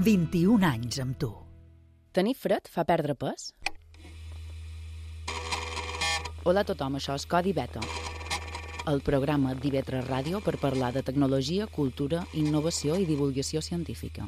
21 anys amb tu. Tenir fred fa perdre pes? Hola a tothom, això és Codi Beta, el programa d'IV3 Ràdio per parlar de tecnologia, cultura, innovació i divulgació científica.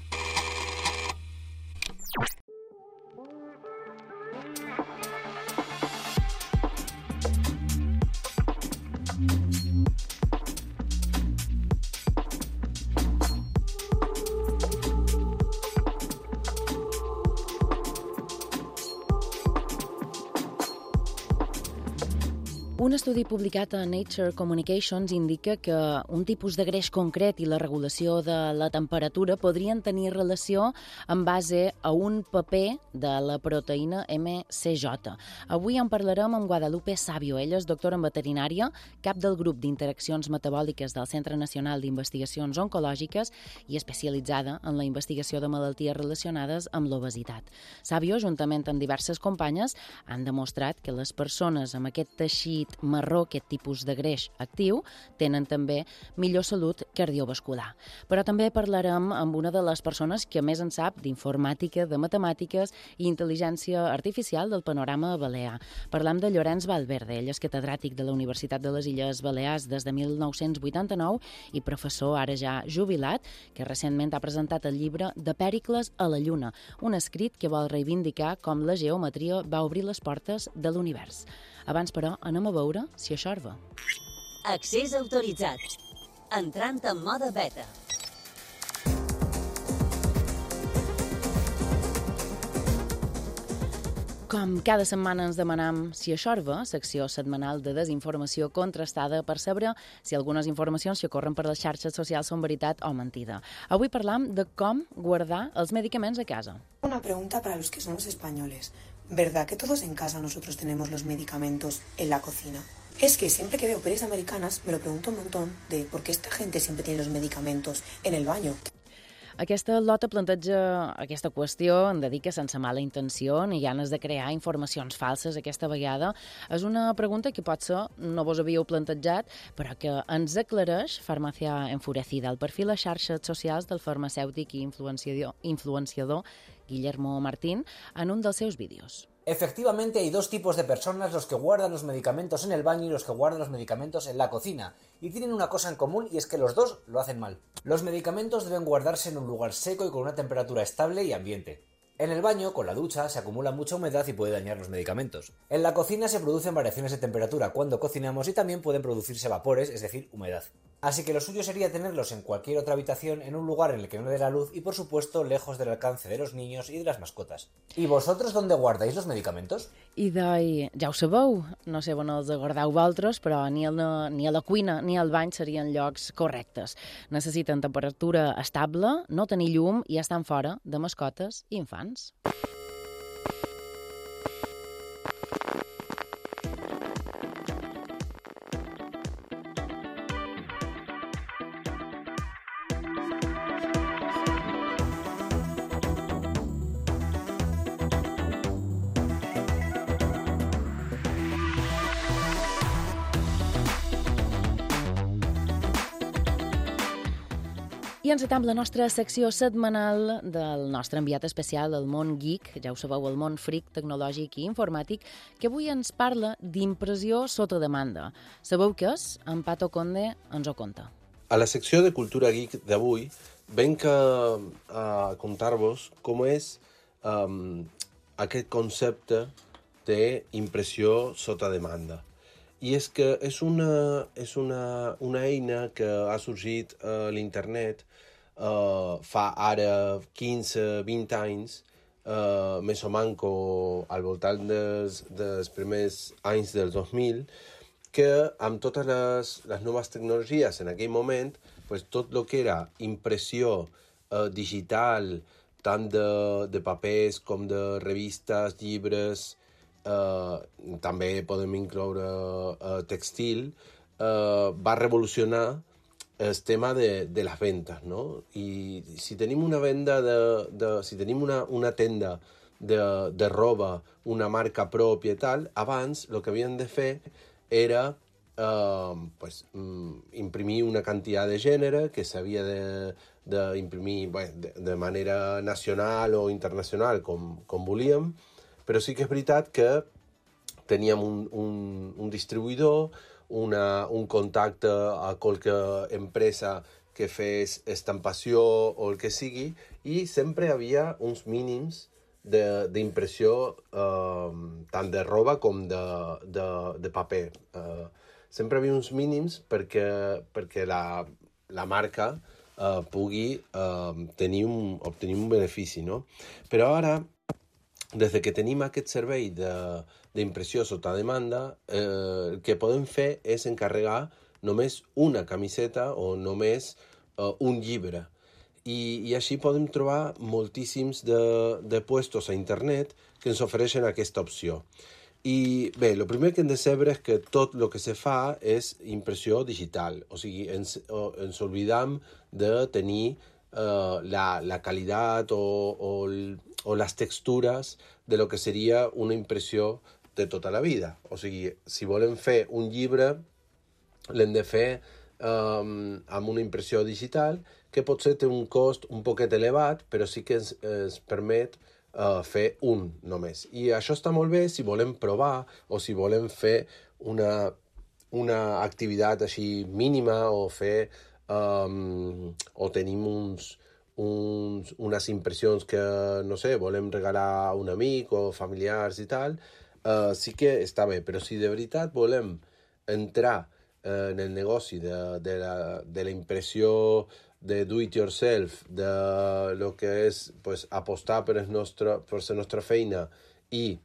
Un estudi publicat a Nature Communications indica que un tipus de greix concret i la regulació de la temperatura podrien tenir relació en base a un paper de la proteïna MCJ. Avui en parlarem amb Guadalupe Savio. Ella és doctora en veterinària, cap del grup d'interaccions metabòliques del Centre Nacional d'Investigacions Oncològiques i especialitzada en la investigació de malalties relacionades amb l'obesitat. Savio, juntament amb diverses companyes, han demostrat que les persones amb aquest teixit marró, aquest tipus de greix actiu, tenen també millor salut cardiovascular. Però també parlarem amb una de les persones que més en sap d'informàtica, de matemàtiques i intel·ligència artificial del panorama balear. Parlam de Llorenç Valverde. Ell és catedràtic de la Universitat de les Illes Balears des de 1989 i professor ara ja jubilat, que recentment ha presentat el llibre De Pèricles a la Lluna, un escrit que vol reivindicar com la geometria va obrir les portes de l'univers. Abans, però, anem a veure si això va. Accés autoritzat. Entrant en mode beta. Com cada setmana ens demanam si això va, secció setmanal de desinformació contrastada per saber si algunes informacions que corren per les xarxes socials són veritat o mentida. Avui parlam de com guardar els medicaments a casa. Una pregunta para los que somos españoles. ¿Verdad que todos en casa nosotros tenemos los medicamentos en la cocina? Es que siempre que veo pelis americanas me lo pregunto un montón de por qué esta gente siempre tiene los medicamentos en el baño. Aquesta lota planteja aquesta qüestió, en dedica sense mala intenció ni ganes de crear informacions falses aquesta vegada. És una pregunta que potser no vos havíeu plantejat, però que ens aclareix Farmàcia Enfurecida, el perfil a xarxes socials del farmacèutic i influenciador Guillermo Martín en un dels seus vídeos. Efectivamente, hay dos tipos de personas, los que guardan los medicamentos en el baño y los que guardan los medicamentos en la cocina. Y tienen una cosa en común y es que los dos lo hacen mal. Los medicamentos deben guardarse en un lugar seco y con una temperatura estable y ambiente. En el baño, con la ducha, se acumula mucha humedad y puede dañar los medicamentos. En la cocina se producen variaciones de temperatura cuando cocinamos y también pueden producirse vapores, es decir, humedad. Así que lo suyo sería tenerlos en cualquier otra habitación, en un lugar en el que no dé la luz y, por supuesto, lejos del alcance de los niños y de las mascotas. ¿Y vosotros dónde guardáis los medicamentos? I ja ho sabeu, no sé on els guardeu vosaltres, però ni a la cuina ni al bany serien llocs correctes. Necessiten temperatura estable, no tenir llum i estan fora de mascotes i infants. I encetam la nostra secció setmanal del nostre enviat especial al món geek, ja ho sabeu, el món freak tecnològic i informàtic, que avui ens parla d'impressió sota demanda. Sabeu què és? En Pato Conde ens ho conta. A la secció de Cultura Geek d'avui venc a contar-vos com és aquest concepte d'impressió sota demanda. I és que és una eina que ha sorgit a l'internet fa ara 15-20 anys, més o manco al voltant dels primers anys del 2000, que amb totes les noves tecnologies en aquell moment, pues, tot el que era impressió digital, tant de papers com de revistes, llibres, també podem incloure textil, va revolucionar el tema de les vendes, no? I si tenim una venda si tenim una tenda de roba, una marca pròpia i tal, abans el que havien de fer era pues, imprimir una quantitat de gènere que s'havia d'imprimir de manera nacional o internacional com volíem, però sí que és veritat que teníem un distribuïdor, un contacte a qualque empresa que fes estampació o el que sigui, i sempre hi havia uns mínims d'impressió tant de roba com de paper. Sempre hi havia uns mínims perquè la marca pugui obtenir un benefici, no? Però ara, des que tenim aquest servei d'impressió sota demanda, el que podem fer és encarregar només una camiseta o només un llibre. I així podem trobar moltíssims de puestos a internet que ens ofereixen aquesta opció. I bé, el primer que hem de saber és que tot el que se fa és impressió digital, o sigui, ens oblidam de tenir la qualitat o les textures de lo que seria una impressió de tota la vida. O sigui, si volem fer un llibre, l'hem de fer amb una impressió digital, que potser té un cost un poquet elevat, però sí que ens permet fer un només. I això està molt bé si volem provar o si volem fer una activitat així mínima o fer o tenim unes impressions que, no sé, volem regalar a un amic o familiars i tal, sí que està bé. Però si de veritat volem entrar en el negoci de la impressió de do-it-yourself, de lo que és pues, apostar per la nostra feina i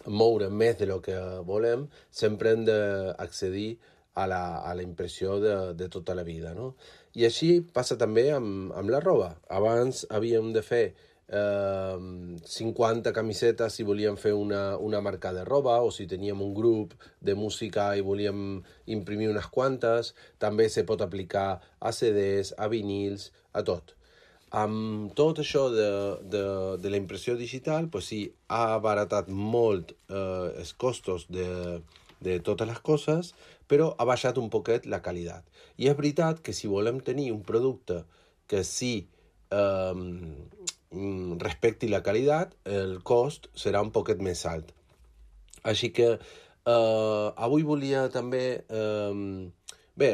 moure més de lo que volem, sempre hem d'accedir a la impressió de tota la vida, no? I així passa també amb la roba. Abans havíem de fer 50 camisetes si volíem fer una marca de roba, o si teníem un grup de música i volíem imprimir unes quantes. També se pot aplicar a CDs, a vinils, a tot. Amb tot això de la impressió digital, pues sí, ha abaratat molt els costos de totes les coses, però ha baixat un poquet la qualitat. I és veritat que si volem tenir un producte que sí respecti la qualitat, el cost serà un poquet més alt. Així que avui volia també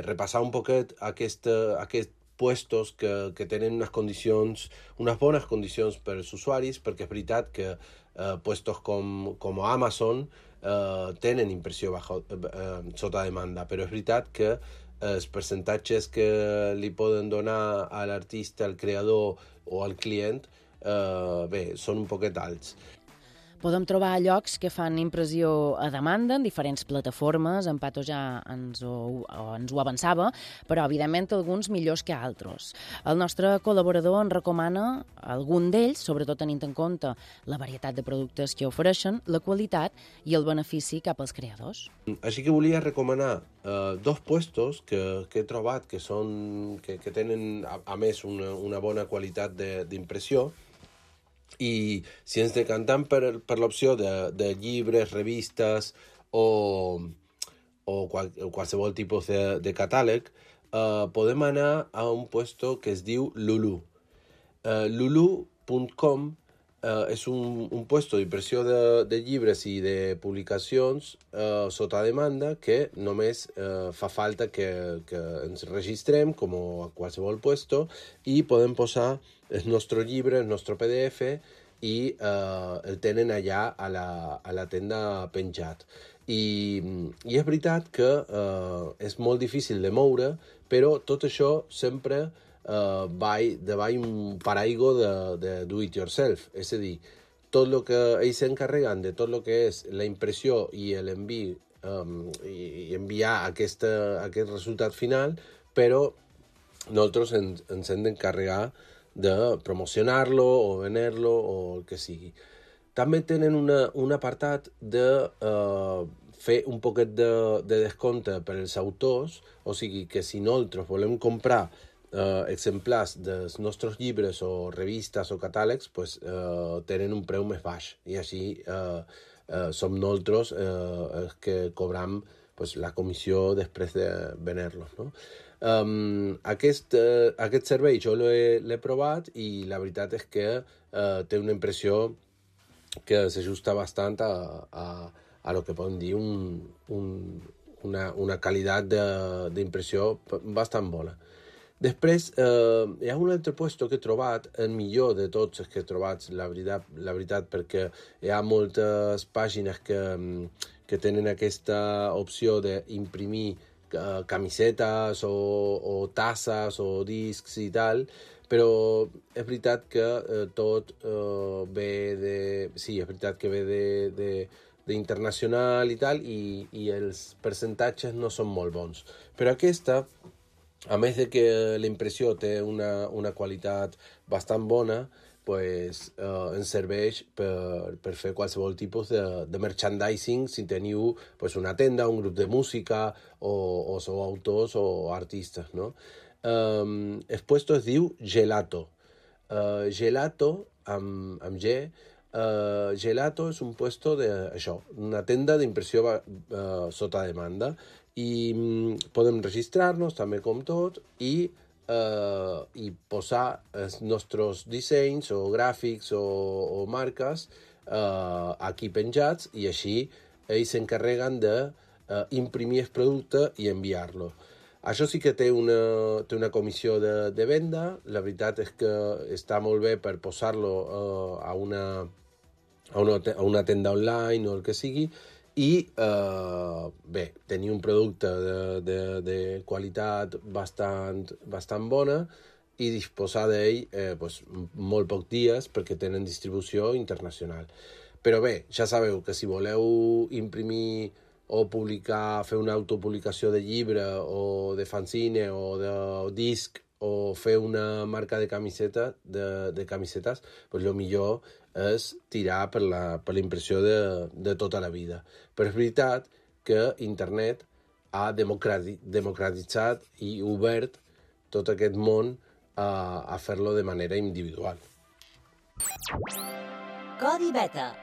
repassar un poquet aquests puestos que tenen unes bones condicions per als usuaris, perquè és veritat que puestos com Amazon tenen impressió sota demanda, però és veritat que els percentatges que li poden donar a l'artista, al creador o al client, són un poquet alts. Podem trobar llocs que fan impressió a demanda en diferents plataformes, en Pato ja ens ho avançava, però evidentment alguns millors que altres. El nostre col·laborador en recomana algun d'ells, sobretot tenint en compte la varietat de productes que ofereixen, la qualitat i el benefici cap als creadors. Així que volia recomanar dos puestos que he trobat que tenen, a més, una bona qualitat d'impressió. I si ens decantem per l'opció de llibres, revistes o qualsevol tipus de catàleg, podem anar a un puesto que es diu Lulu. Lulu.com és un puesto d'impressió de llibres i de publicacions sota demanda que només fa falta que ens registrem com a qualsevol puesto i podem posar el nostre llibre, el nostre PDF i el tenen allà a la tenda penjat. I és veritat que és molt difícil de moure, però tot això sempre va davall un paraigua de do-it-yourself. És a dir, tot el que ells s'encarreguen de tot el que és la impressió i l'envi i enviar aquest resultat final, però nosaltres ens hem d'encarregar de promocionar-lo o vendre-lo o el que sigui. També tenen un apartat de fer un poquet de descompte per als autors, o sigui que si nosaltres volem comprar exemplars dels nostres llibres o revistes o catàlegs, pues, tenen un preu més baix i així som nosaltres els que cobram pues, la comissió després de vendre-los, no? Aquest servei jo l'he provat i la veritat és que té una impressió que s'ajusta bastant a lo que podem dir una qualitat d'impressió bastant bona. Després, hi ha un altre puesto que he trobat, el millor de tots els que he trobat, la veritat, perquè hi ha moltes pàgines que tenen aquesta opció d'imprimir camisetes o tasses o discs i tal, però és veritat que tot ve de... Sí, és veritat que ve d'internacional i tal, i els percentatges no són molt bons. Però aquesta, a més de que la impressió té una qualitat bastant bona, pues, ens serveix per fer qualsevol tipus de merchandising si teniu pues, una tenda, un grup de música o sou autors o artistes, no? El puesto es diu Gelato. Gelato, amb G, Gelato és un puesto una tenda d'impressió sota demanda, i podem registrar-nos també com tot i posar els nostres dissenys o gràfics o marques aquí penjats, i així ells s'encarreguen d'imprimir el producte i enviar-lo. Això sí que té una comissió de venda. La veritat és que està molt bé per posar-lo a una tenda online o el que sigui, i bé, tenir un producte de qualitat bastant bona i disposar d'ell pues, molt pocs dies perquè tenen distribució internacional. Però bé, ja sabeu que si voleu imprimir o publicar, fer una autopublicació de llibre o de fanzine o de disc o fer una marca de camisetes, pues el millor és tirar per la impressió de tota la vida. Però és veritat que internet ha democratitzat i obert tot aquest món a fer-lo de manera individual. Codi Beta.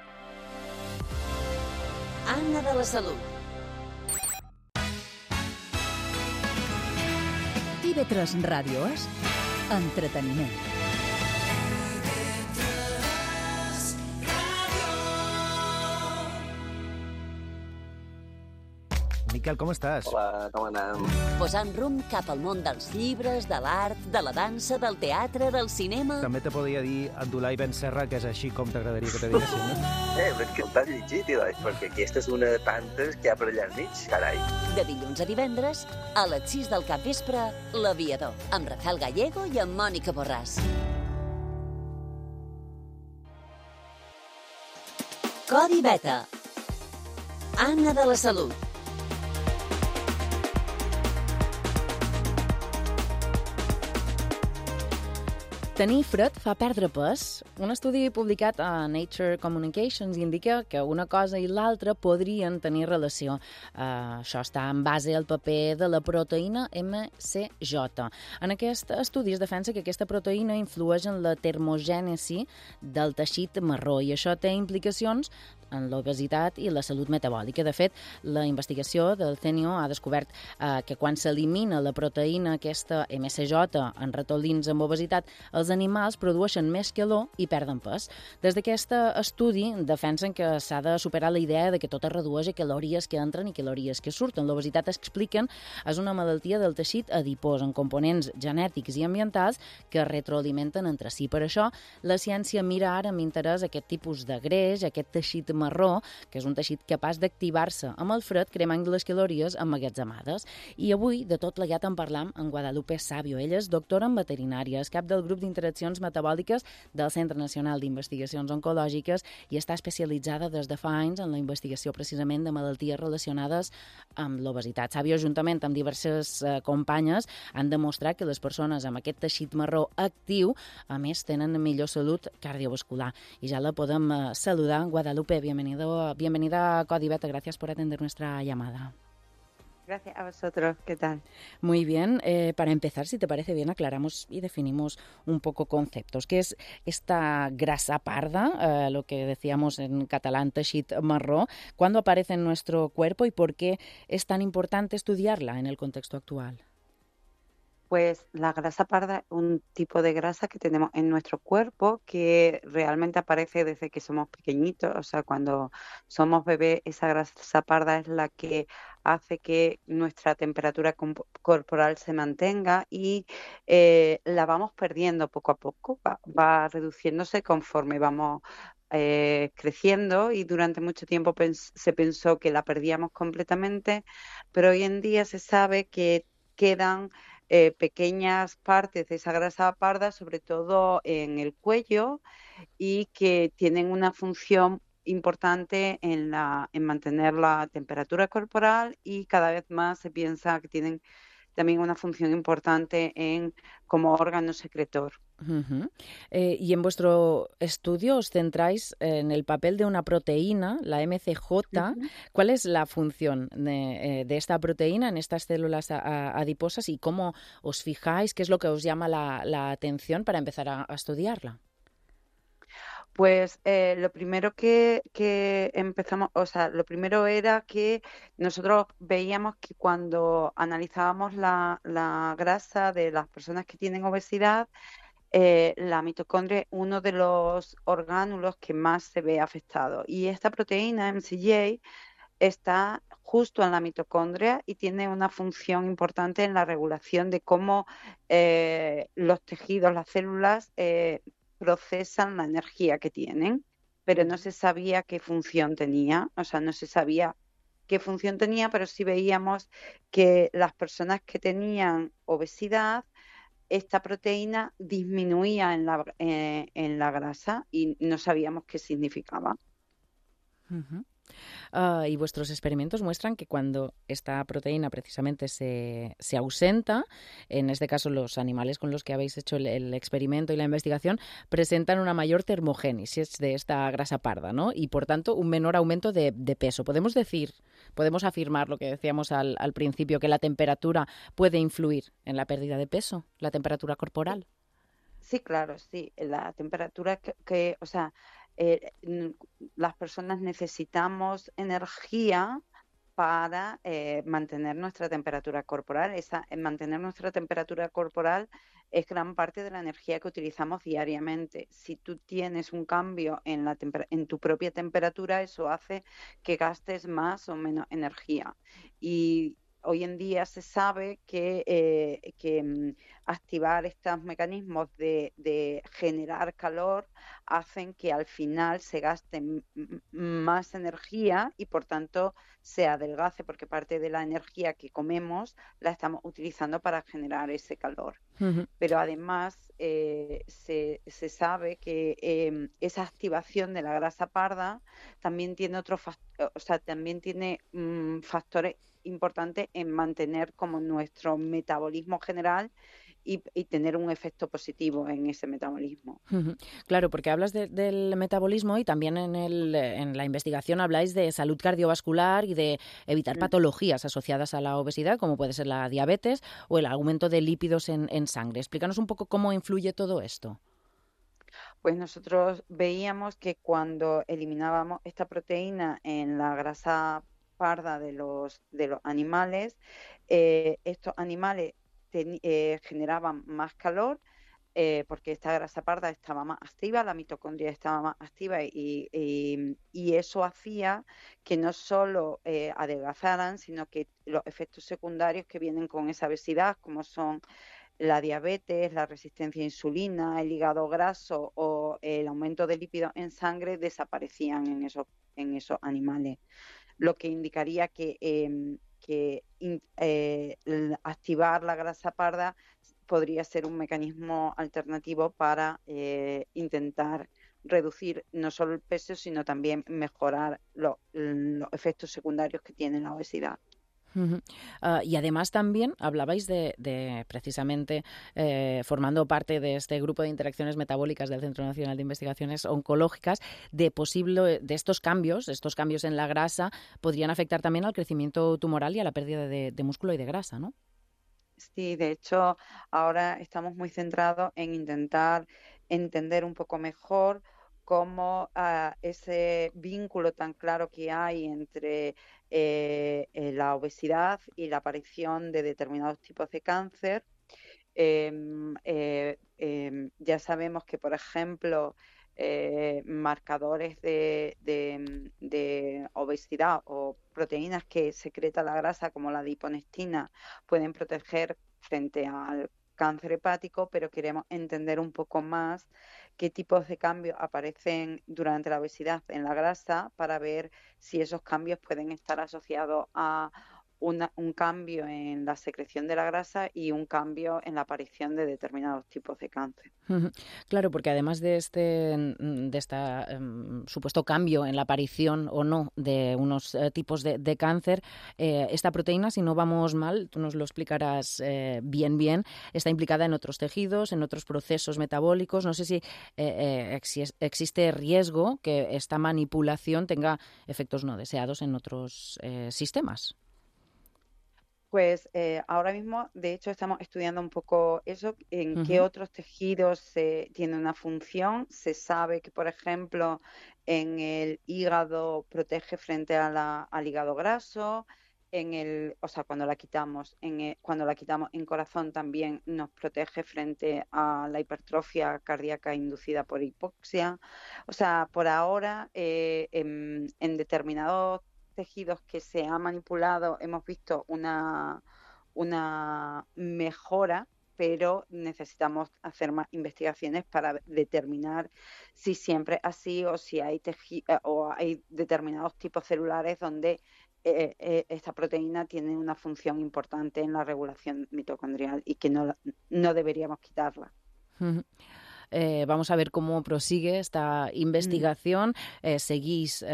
Anna de la Salut. TV3 Ràdio és entreteniment. Miquel, com estàs? Hola, com anem? Posant rumb cap al món dels llibres, de l'art, de la dansa, del teatre, del cinema... També te podria dir Abdulai Ben Serra, que és així com t'agradaria que te diguessin, no? Però és que t'has llegit, perquè aquesta és una de tantes que hi ha per allà al mig, carai. De dilluns a divendres, a les 6 del capvespre, L'Aviador, amb Rafael Gallego i amb Mònica Borràs. Codi Beta. Anna de la Salut. Tenir fred fa perdre pes. Un estudi publicat a Nature Communications indica que una cosa i l'altra podrien tenir relació. Això està en base al paper de la proteïna MCJ. En aquest estudi es defensa que aquesta proteïna influeix en la termogènesi del teixit marró i això té implicacions en l'obesitat i la salut metabòlica. De fet, la investigació del CENIO ha descobert que quan s'elimina la proteïna aquesta MCJ en ratolins amb obesitat, els animals produeixen més calor i perden pes. Des d'aquest estudi defensen que s'ha de superar la idea de que tot es redueix a calories que entren i calories que surten. L'obesitat, expliquen, és una malaltia del teixit adipós amb components genètics i ambientals que retroalimenten entre si. Per això, la ciència mira ara amb interès aquest tipus de greix, aquest teixit marró, que és un teixit capaç d'activar-se amb el fred cremant les calories emmagatzemades. I avui de tot plegat en parlam amb Guadalupe Sabio. Ella és doctora en veterinària, és cap del grup d'interaccions metabòliques del Centre Nacional d'Investigacions Oncològiques i està especialitzada des de fa anys en la investigació precisament de malalties relacionades amb l'obesitat. Sabio, juntament amb diverses companyes, han demostrat que les persones amb aquest teixit marró actiu, a més, tenen millor salut cardiovascular. Y ya la podemos saludar. Guadalupe, bienvenida a Codi Beta. Gracias por atender nuestra llamada. Gracias a vosotros. ¿Qué tal? Muy bien. Para empezar, si te parece bien, aclaramos y definimos un poco conceptos. ¿Qué es esta grasa parda, lo que decíamos en catalán, teixit marró? ¿Cuándo aparece en nuestro cuerpo y por qué es tan importante estudiarla en el contexto actual? Pues la grasa parda es un tipo de grasa que tenemos en nuestro cuerpo que realmente aparece desde que somos pequeñitos. O sea, cuando somos bebés, esa grasa parda es la que hace que nuestra temperatura corporal se mantenga y la vamos perdiendo poco a poco. Va reduciéndose conforme vamos creciendo y durante mucho tiempo se pensó que la perdíamos completamente, pero hoy en día se sabe que quedan pequeñas partes de esa grasa parda, sobre todo en el cuello, y que tienen una función importante en mantener la temperatura corporal y cada vez más se piensa que tienen también una función importante como órgano secretor. Uh-huh. Y en vuestro estudio os centráis en el papel de una proteína, la MCJ. Uh-huh. ¿Cuál es la función de esta proteína en estas células adiposas y cómo os fijáis? ¿Qué es lo que os llama la atención para empezar a estudiarla? Pues lo primero que empezamos, o sea, lo primero era que nosotros veíamos que cuando analizábamos la grasa de las personas que tienen obesidad, la mitocondria es uno de los orgánulos que más se ve afectado. Y esta proteína, MCJ, está justo en la mitocondria y tiene una función importante en la regulación de cómo los tejidos, las células, procesan la energía que tienen, pero no se sabía qué función tenía, o sea, no se sabía qué función tenía, pero sí veíamos que las personas que tenían obesidad, esta proteína disminuía en la grasa y no sabíamos qué significaba. Uh-huh. Y vuestros experimentos muestran que cuando esta proteína precisamente se ausenta, en este caso los animales con los que habéis hecho el experimento y la investigación, presentan una mayor termogénesis de esta grasa parda, ¿no? Y por tanto un menor aumento de peso. Podemos afirmar lo que decíamos al principio, que la temperatura puede influir en la pérdida de peso, la temperatura corporal. Sí, claro, sí. La temperatura o sea, las personas necesitamos energía para mantener nuestra temperatura corporal. Mantener nuestra temperatura corporal es gran parte de la energía que utilizamos diariamente. Si tú tienes un cambio en tu propia temperatura, eso hace que gastes más o menos energía. Y hoy en día se sabe que activar estos mecanismos de generar calor hacen que al final se gaste más energía y por tanto se adelgace, porque parte de la energía que comemos la estamos utilizando para generar ese calor. Uh-huh. Pero además se sabe que esa activación de la grasa parda también tiene factores importante en mantener como nuestro metabolismo general y tener un efecto positivo en ese metabolismo. Claro, porque hablas del metabolismo y también en la investigación habláis de salud cardiovascular y de evitar patologías asociadas a la obesidad, como puede ser la diabetes o el aumento de lípidos en sangre. Explícanos un poco cómo influye todo esto. Pues nosotros veíamos que cuando eliminábamos esta proteína en la grasa parda de los animales, estos animales generaban más calor porque esta grasa parda estaba más activa, la mitocondria estaba más activa y eso hacía que no solo adelgazaran, sino que los efectos secundarios que vienen con esa obesidad, como son la diabetes, la resistencia a insulina, el hígado graso o el aumento de lípidos en sangre, desaparecían en esos animales, lo que indicaría que activar la grasa parda podría ser un mecanismo alternativo para intentar reducir no solo el peso, sino también mejorar los efectos secundarios que tiene la obesidad. Y además también hablabais de precisamente formando parte de este grupo de interacciones metabólicas del Centro Nacional de Investigaciones Oncológicas, de estos cambios en la grasa podrían afectar también al crecimiento tumoral y a la pérdida de músculo y de grasa, ¿no? Sí, de hecho, ahora estamos muy centrados en intentar entender un poco mejor cómo ese vínculo tan claro que hay entre la obesidad y la aparición de determinados tipos de cáncer. Ya sabemos que, por ejemplo, marcadores de obesidad o proteínas que secreta la grasa, como la adiponectina, pueden proteger frente al cáncer hepático, pero queremos entender un poco más qué tipos de cambios aparecen durante la obesidad en la grasa para ver si esos cambios pueden estar asociados a un cambio en la secreción de la grasa y un cambio en la aparición de determinados tipos de cáncer. Claro, porque además de este supuesto cambio en la aparición o no de unos tipos de cáncer, esta proteína, si no vamos mal, tú nos lo explicarás bien, está implicada en otros tejidos, en otros procesos metabólicos. No sé si existe riesgo que esta manipulación tenga efectos no deseados en otros sistemas. Pues ahora mismo, de hecho, estamos estudiando un poco eso, en qué otros tejidos tiene una función. Se sabe que, por ejemplo, en el hígado protege frente al hígado graso, cuando la quitamos, cuando la quitamos en corazón también nos protege frente a la hipertrofia cardíaca inducida por hipoxia. O sea, por ahora, en determinados tejidos que se ha manipulado hemos visto una mejora, pero necesitamos hacer más investigaciones para determinar si siempre es así o si hay o hay determinados tipos celulares donde esta proteína tiene una función importante en la regulación mitocondrial y que no deberíamos quitarla. Vamos a ver cómo prosigue esta investigación. Seguís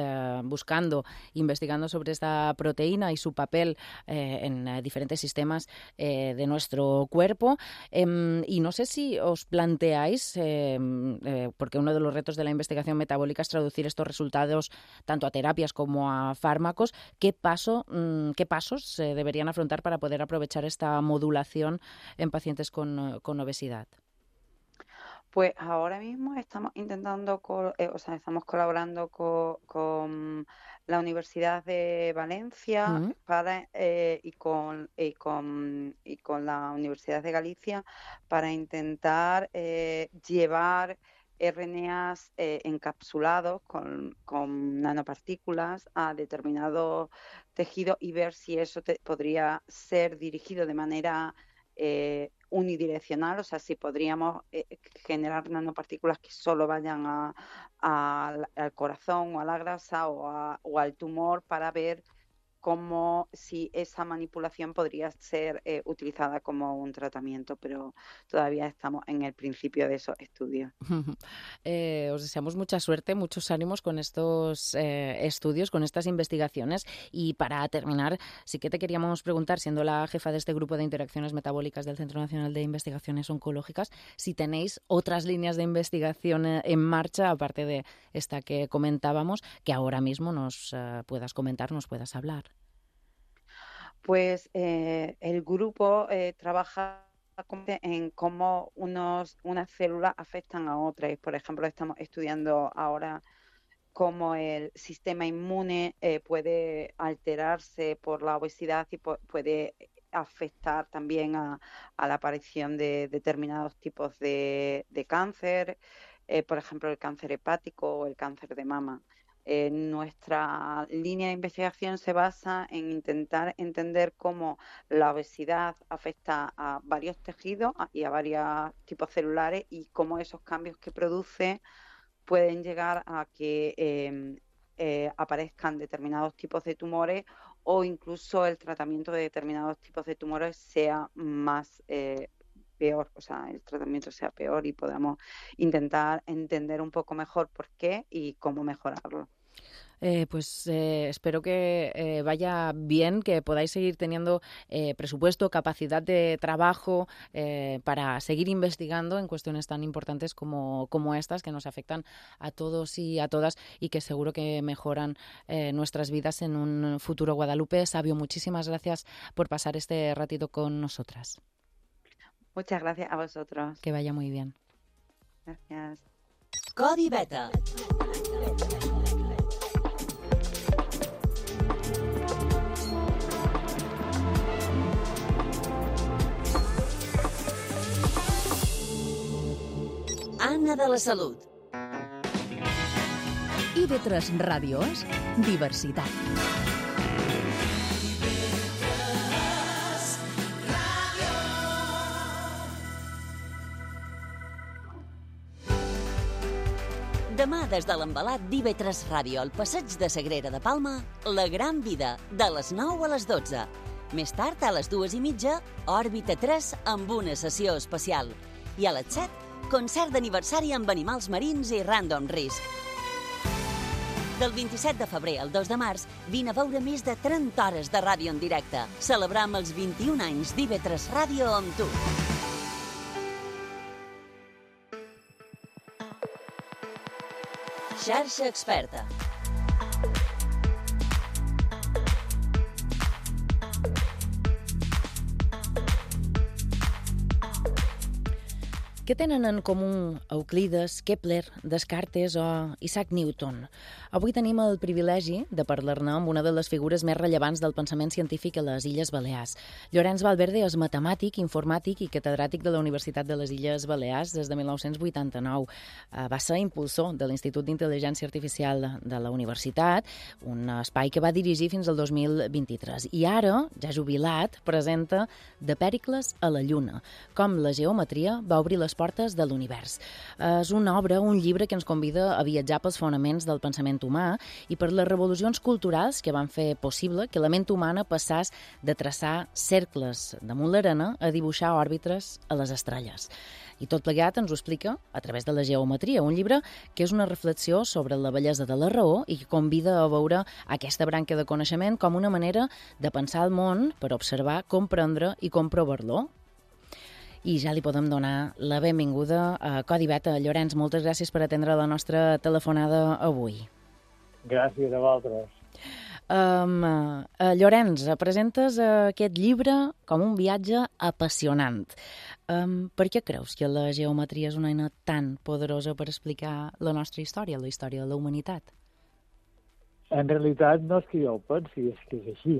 investigando sobre esta proteína y su papel en diferentes sistemas de nuestro cuerpo. Y no sé si os planteáis, porque uno de los retos de la investigación metabólica es traducir estos resultados tanto a terapias como a fármacos, qué pasos se deberían afrontar para poder aprovechar esta modulación en pacientes con obesidad. Pues ahora mismo estamos intentando, estamos colaborando con la Universidad de Valencia y con la Universidad de Galicia para intentar llevar RNAs encapsulados con nanopartículas a determinados tejidos y ver si eso podría ser dirigido de manera unidireccional, o sea, si podríamos generar nanopartículas que solo vayan al corazón o a la grasa o al tumor para ver si esa manipulación podría ser utilizada como un tratamiento, pero todavía estamos en el principio de esos estudios. Os deseamos mucha suerte, muchos ánimos con estos estudios, con estas investigaciones. Y para terminar, sí que te queríamos preguntar, siendo la jefa de este grupo de interacciones metabólicas del Centro Nacional de Investigaciones Oncológicas, si tenéis otras líneas de investigación en marcha, aparte de esta que comentábamos, que ahora mismo nos puedas comentar, nos puedas hablar. Pues el grupo trabaja en cómo unas células afectan a otras. Por ejemplo, estamos estudiando ahora cómo el sistema inmune puede alterarse por la obesidad y puede afectar también a la aparición de determinados tipos de cáncer, por ejemplo, el cáncer hepático o el cáncer de mama. Nuestra línea de investigación se basa en intentar entender cómo la obesidad afecta a varios tejidos y a varios tipos celulares y cómo esos cambios que produce pueden llegar a que aparezcan determinados tipos de tumores o incluso el tratamiento de determinados tipos de tumores sea más peor, o sea, el tratamiento sea peor y podamos intentar entender un poco mejor por qué y cómo mejorarlo. Espero que vaya bien, que podáis seguir teniendo presupuesto, capacidad de trabajo para seguir investigando en cuestiones tan importantes como estas que nos afectan a todos y a todas y que seguro que mejoran nuestras vidas en un futuro. Guadalupe Savio, muchísimas gracias por pasar este ratito con nosotras. Muchas gracias a vosotros. Que vaya muy bien. Gracias. Codi Beta. Anna de la Salut. IB3 Ràdios, diversitat. Demà, des de l'embalat d'IB3 Ràdio, al passeig de Sagrera de Palma, La Gran Vida, de les 9 a les 12. Més tard, a les 2:30, Òrbita 3 amb una sessió especial. I a les 7, concert d'aniversari amb animals marins i Random Risk. Del 27 de febrer al 2 de març, vine a veure més de 30 hores de ràdio en directe. Celebram els 21 anys d'IB3 Ràdio amb tu. Xarxa Experta. Què tenen en comú Euclides, Kepler, Descartes o Isaac Newton? Avui tenim el privilegi de parlar-ne amb una de les figures més rellevants del pensament científic a les Illes Balears. Llorenç Valverde és matemàtic, informàtic i catedràtic de la Universitat de les Illes Balears des de 1989. Va ser impulsor de l'Institut d'Intel·ligència Artificial de la Universitat, un espai que va dirigir fins al 2023. I ara, ja jubilat, presenta De Pèricles a la Lluna, com la geometria va obrir les portes de l'univers. És una obra, un llibre que ens convida a viatjar pels fonaments del pensament humà i per les revolucions culturals que van fer possible que la ment humana passés de traçar cercles damunt l'arena a dibuixar òrbites a les estrelles. I tot plegat ens ho explica a través de la geometria, un llibre que és una reflexió sobre la bellesa de la raó i que convida a veure aquesta branca de coneixement com una manera de pensar el món per observar, comprendre i comprovar-lo. I ja li podem donar la benvinguda a Codi Beta. Llorenç, moltes gràcies per atendre la nostra telefonada avui. Gràcies a vosaltres. Llorenç, presentes aquest llibre com un viatge apassionant. Per què creus que la geometria és una eina tan poderosa per explicar la nostra història, la història de la humanitat? En realitat no és que jo ho pensi, és que és així.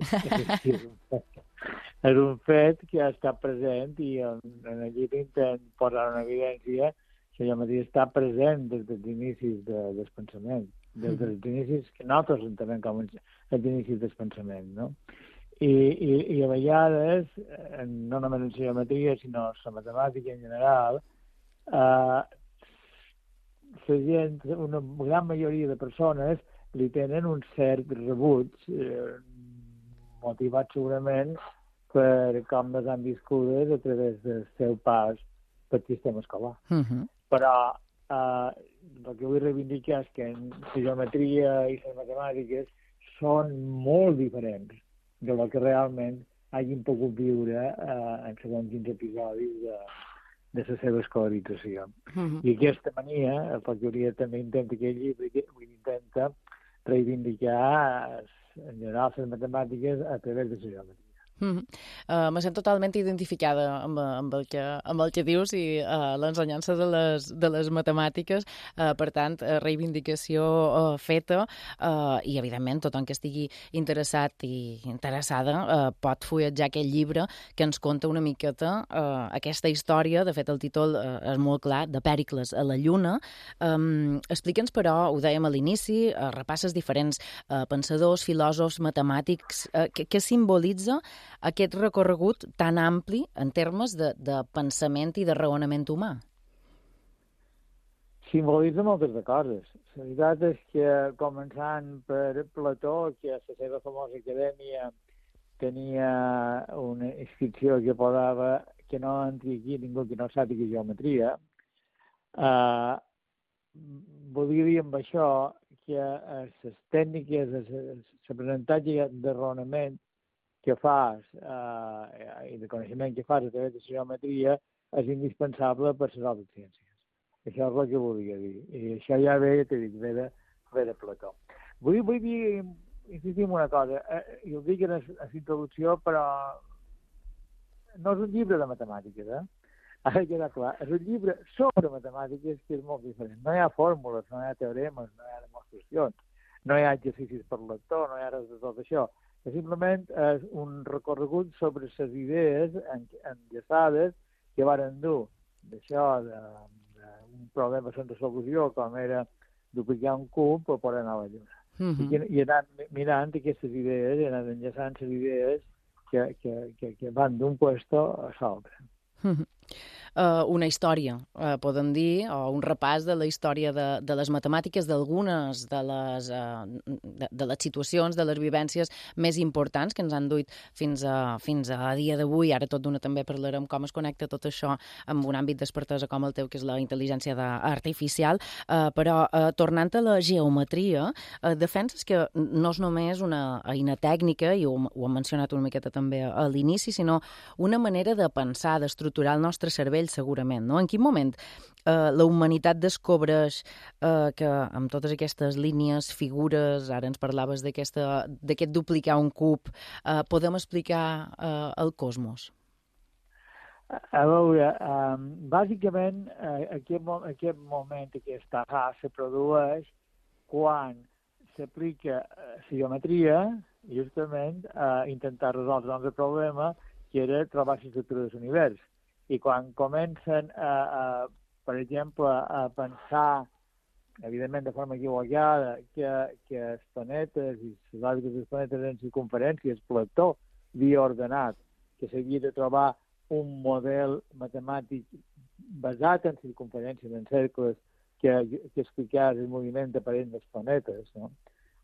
És un fet que ha estat present i en el llibre intent posar una evidència que la geometria està present des dels inicis del pensament, des dels inicis que nosaltres entenem com els inicis del pensament, no? I a vegades, no només en geometria, sinó en la matemàtica en general, la gent, una gran majoria de persones, li tenen un cert rebuig, motivat segurament per com les han viscudes a través del seu pas pel sistema escolar. Però el que vull reivindicar és que la geometria i les matemàtiques són molt diferents de lo que realment hagin pogut viure en segons quins episodis de la seva escolarització. I aquesta mania, el que hauria també intenta aquest llibre, intenta reivindicar en general les matemàtiques a través de la geometria. Me sento totalment identificada amb el que dius i l'ensenyança de les matemàtiques, per tant, reivindicació feta i, evidentment, tothom que estigui interessat i interessada pot fulletjar aquest llibre que ens conta una miqueta aquesta història. De fet, el títol és molt clar, De Pèricles a la Lluna. Explica'ns, però, ho dèiem a l'inici, repasses diferents pensadors, filòsofs, matemàtics, què simbolitza aquest recorregut tan ampli en termes de pensament i de raonament humà? Simbolitza moltes de coses. La veritat és que, començant per Plató, que a la seva famosa acadèmia tenia una inscripció que posava que no entri aquí ningú que no sàpiga geometria, volia dir amb això que les tècniques, l'aprenentatge de raonament que fas i de coneixement que fas a través de la geometria és indispensable per les altres ciències. Això és el que volia dir. I això ja ve, ja t'he dit, ve de Plató. Vull dir, insistir en una cosa. I ho dic en la introducció, però no és un llibre de matemàtiques, Ha de quedar clar. És un llibre sobre matemàtiques que és molt diferent. No hi ha fórmules, no hi ha teoremes, no hi ha demostracions, no hi ha exercicis per lector, no hi ha res de tot això. Simplement és un recorregut sobre les idees enllaçades que varen dur d'això, d'un problema sense solució, com era duplicar un cub per poder anar a la Lluna. I anant mirant aquestes idees, i anant enllaçant les idees que van d'un puesto a l'altre. Una història, podem dir, o un repàs de la història de les matemàtiques, d'algunes de les situacions, de les vivències més importants que ens han duit fins a dia d'avui. Ara tot d'una també parlarem com es connecta tot això amb un àmbit d'expertesa com el teu, que és la intel·ligència artificial. Però, tornant a la geometria, defenses que no és només una eina tècnica, i ho hem mencionat una miqueta també a l'inici, sinó una manera de pensar, d'estructurar el nostre cervell, segurament, no? En quin moment la humanitat descobreix que amb totes aquestes línies, figures, ara ens parlaves d'aquest duplicar un cub, podem explicar el cosmos? A veure, bàsicament aquest moment, aquesta se produeix quan s'aplica la geometria justament a intentar resoldre el problema que era trobar l'estructura de l'univers. I quan comencen, per exemple, a pensar, evidentment de forma equivocada, que els planetes i les òrbites dels planetes en circumferències, Plató havia ordenat que s'havia de trobar un model matemàtic basat en circumferències, en cercles, que expliqués el moviment aparent dels planetes, no?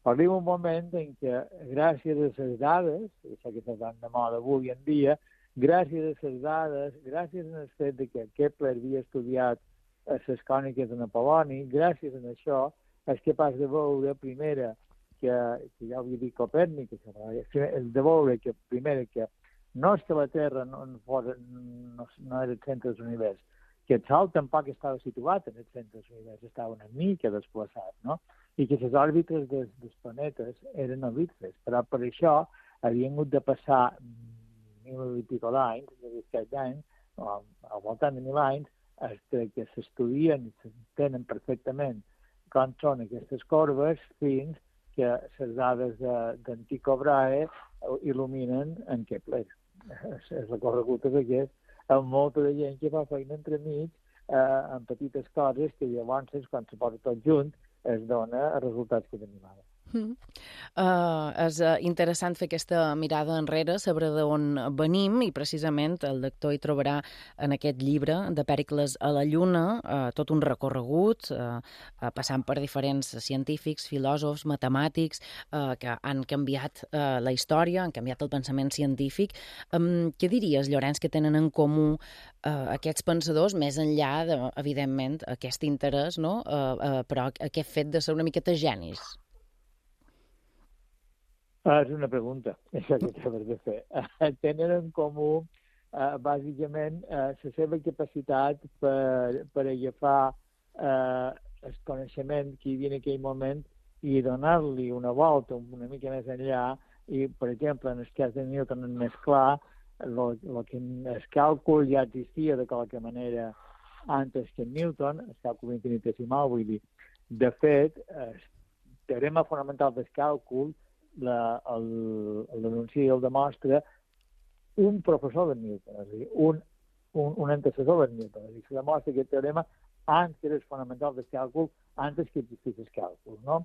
Arriba un moment en què, gràcies a les dades, això que s'ha de moda avui en dia, gràcies a les dades, gràcies al fet que Kepler havia estudiat les còniques de Napoloni, gràcies a això és capaç de veure, primera, que ja ho havia dit Copèrnic, de veure que, primera, que no és que la Terra no era el centre de l'univers, que el Sol tampoc estava situat en el centre de l'univers, estava una mica desplaçat, no? I que les òrbites dels planetes eren el·lipses, però per això havien hagut de passar 1.000 i pico d'anys, al voltant de 1.000 anys, que s'estudien i s'entenen perfectament com són aquestes corbes fins que les dades d'en Tycho Brahe il·luminen en Kepler. És recorregut aquest, amb molta de gent que fa feina entremig en petites coses que llavors, quan se posa tot junt, es dona els resultats que tenim ara. És interessant fer aquesta mirada enrere, saber d'on venim, i precisament el lector hi trobarà en aquest llibre de Pèricles a la Lluna tot un recorregut, passant per diferents científics, filòsofs, matemàtics, que han canviat la història, han canviat el pensament científic. Què diries, Llorenç, que tenen en comú aquests pensadors, més enllà, evidentment, aquest interès, no? Però aquest fet de ser una miqueta genis? És una pregunta, això que acabes de fer. Tenen en comú, bàsicament, la seva capacitat per agafar el coneixement que hi havia en aquell moment i donar-li una volta una mica més enllà. I, per exemple, en el cas de Newton és més clar, el càlcul ja existia de qualque manera antes que Newton, el càlcul infinitesimal, vull dir. De fet, el teorema fonamental del càlcul l'anuncia i el demostra un professor de Newton, és a dir, un antecessor de Newton. És a dir, se demostra aquest teorema antes que era fonamental del càlcul, antes que existís el càlcul, no?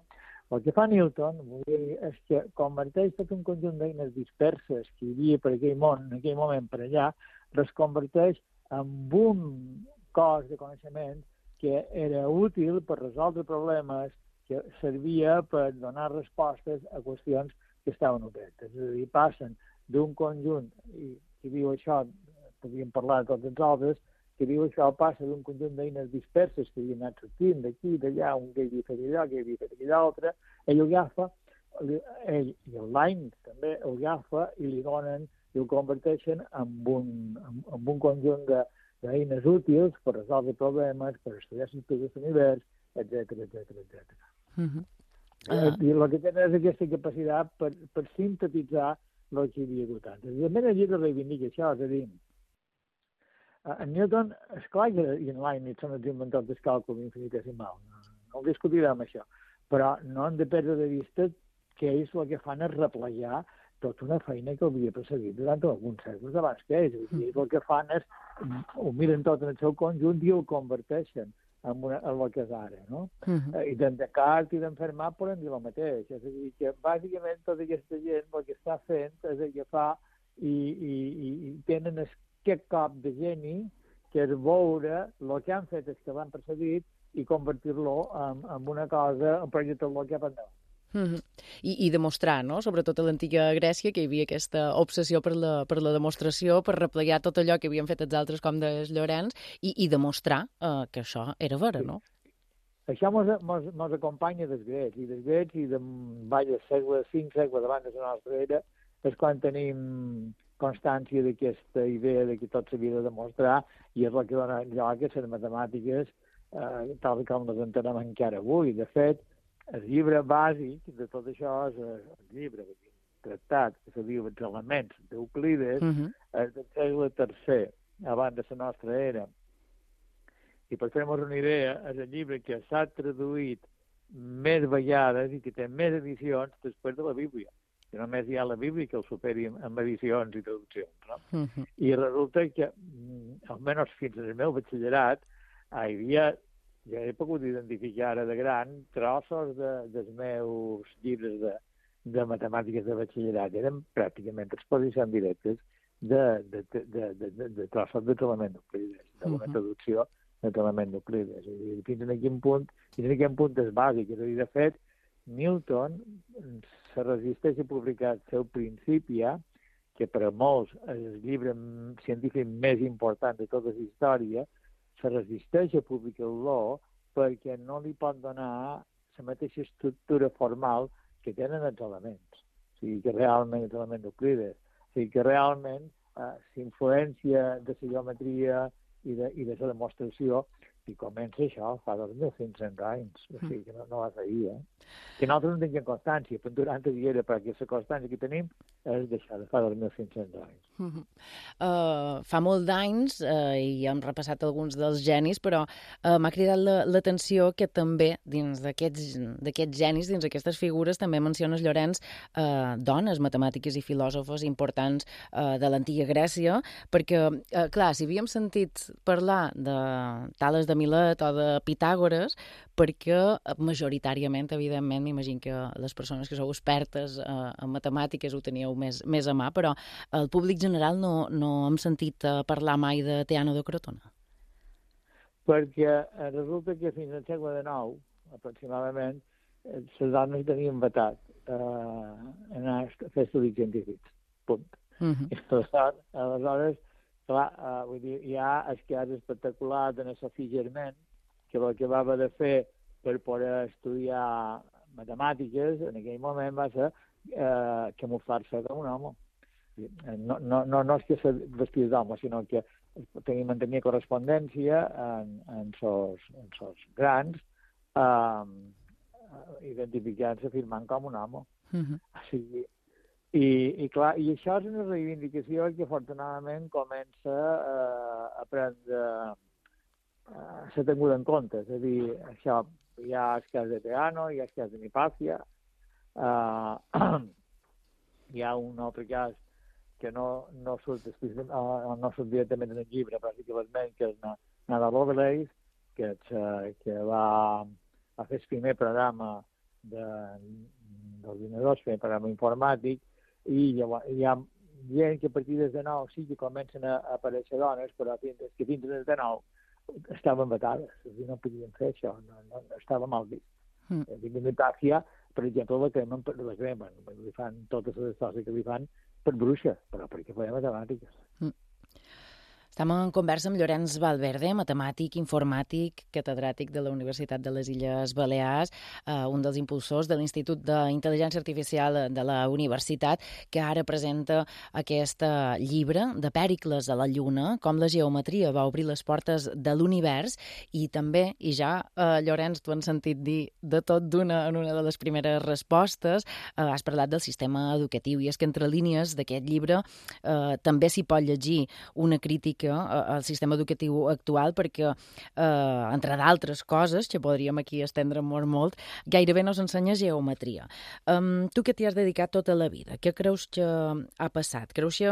El que fa Newton és que converteix tot un conjunt d'eines disperses que hi havia per aquell món, en aquell moment per allà, les converteix en un cos de coneixement que era útil per resoldre problemes, que servia per donar respostes a qüestions que estaven obertes. És a dir, passen d'un conjunt, i qui diu això, podríem parlar de tots els altres, que diu això passa d'un conjunt d'eines disperses que havien anat sortint d'aquí, d'allà, un que havia fet allò, que havia fet all'altre, ell ho agafa, ell i el Line també ho agafa i li donen i ho converteixen en un conjunt d'eines útils per resoldre problemes, per estudiar l'estudi de l'univers, etc. I el que tenen és aquesta capacitat per sintetitzar el que hi havia hagut antes. I també el llibre reivindica això, és a dir, en Newton, esclar que i en Leibniz són els inventors del càlcul infinitesimal, no discutirem això, però no hem de perdre de vista que ells el que fan és replegar tota una feina que havia precedit durant alguns segles abans que ells. Ells el que fan és, ho miren tot en el seu conjunt i ho converteixen en el que és ara, no? I d'en Descartes i d'en Fermat podem dir el mateix. És a dir, que bàsicament tota aquesta gent el que està fent és agafar i tenen aquest cop de geni que és veure el que han fet els que l'han precedit i convertir-lo en una cosa, en projectar-lo cap endavant. I demostrar, no? Sobretot a l'antiga Grècia, que hi havia aquesta obsessió per la demostració, per replegar tot allò que havien fet els altres, com de Llorenç, i demostrar que això era vera, no? Això mos acompanya dels grecs, i de diversos segles, 5 segles abans de la nostra era, és quan tenim constància d'aquesta idea de que tot s'havia de demostrar, i és el que dona lloc a les matemàtiques, tal com les entenem encara avui. De fet, el llibre bàsic de tot això és el llibre, el tractat, que se diu Els elements d'Euclides, és del segle III, abans de la nostra era. I per fer-nos una idea, és el llibre que s'ha traduït més vegades i que té més edicions després de la Bíblia. Que només hi ha la Bíblia que el superi amb edicions i traduccions, no? I resulta que, almenys fins al meu batxillerat, hi havia... Jo he pogut identificar ara de gran trossos dels meus llibres de matemàtiques de batxillerat. Eren pràcticament exposicions directes de trossos de l'element d'Euclides, d'una traducció de l'element d'Euclides. Fins a quin punt és bàsic. És a dir, de fet, Newton se resisteix a publicar el seu Principia, que per a molts és el llibre científic més important de tota la història, se resisteix a publicar-lo perquè no li pot donar la mateixa estructura formal que tenen els elements. O sigui, que realment els elements d'Euclides. O sigui, que realment s'influència de la geometria i de la demostració i comença això fa 2.500 anys. O sigui, que no va ser ahir, Que nosaltres no tenim constància, però durant el dia, perquè la constància que tenim és d'això, de fa 2.500 anys. Fa molt d'anys, i hem repassat alguns dels genis, però m'ha cridat l'atenció que també dins d'aquests genis, dins d'aquestes figures, també menciones, Llorenç, dones matemàtiques i filòsofes importants de l'antiga Grècia, perquè, clar, si havíem sentit parlar de Tales de Milet o de Pitàgores, perquè majoritàriament, evidentment, m'imagino que les persones que sou expertes en matemàtiques ho teníeu més a mà, però el públic general no hem sentit parlar mai de Teano de Crotona. Perquè resulta que fins al segle XIX, aproximadament, les dones tenien vetat anar a fer estudis científics. Punt. Aleshores, clar, vull dir, hi ha el cas espectacular de la Sophie Germain, que el que va haver de fer per poder estudiar matemàtiques en aquell moment va ser camuflar-se com un home. No és que se vestís d'home, sinó que mantenia correspondència en sos grans, identificant-se, firmant com un home. I clar, i això és una reivindicació que afortunadament comença a prendre s'ha tingut en compte. És a dir, això, hi ha el cas de Teano, hi ha el cas de Hipàcia, hi ha un altre cas que no surt directament en el llibre, però sí que l'esment, que és Nada Lovelace, que va fer el primer programa d'ordinadors, el programa informàtic, i hi ha gent que a partir de nou sí que comencen a aparèixer dones, però que fins de nou estaven vetades, no podien fer això, no estava mal vist. Hipàcia, per exemple, la cremen, li fan totes les coses que li fan per bruixa, però perquè feia matemàtiques. Estem en conversa amb Llorenç Valverde, matemàtic, informàtic, catedràtic de la Universitat de les Illes Balears, un dels impulsors de l'Institut d'Intel·ligència Artificial de la Universitat, que ara presenta aquest llibre de Pèricles a la Lluna, com la geometria va obrir les portes de l'univers, i també, i ja, Llorenç, tu has sentit dir de tot d'una en una de les primeres respostes, has parlat del sistema educatiu, i és que entre línies d'aquest llibre també s'hi pot llegir una crítica al sistema educatiu actual perquè, entre d'altres coses, que podríem aquí estendre molt, gairebé no s'ensenya geometria. Tu que t'hi has dedicat tota la vida, què creus que ha passat? Creus que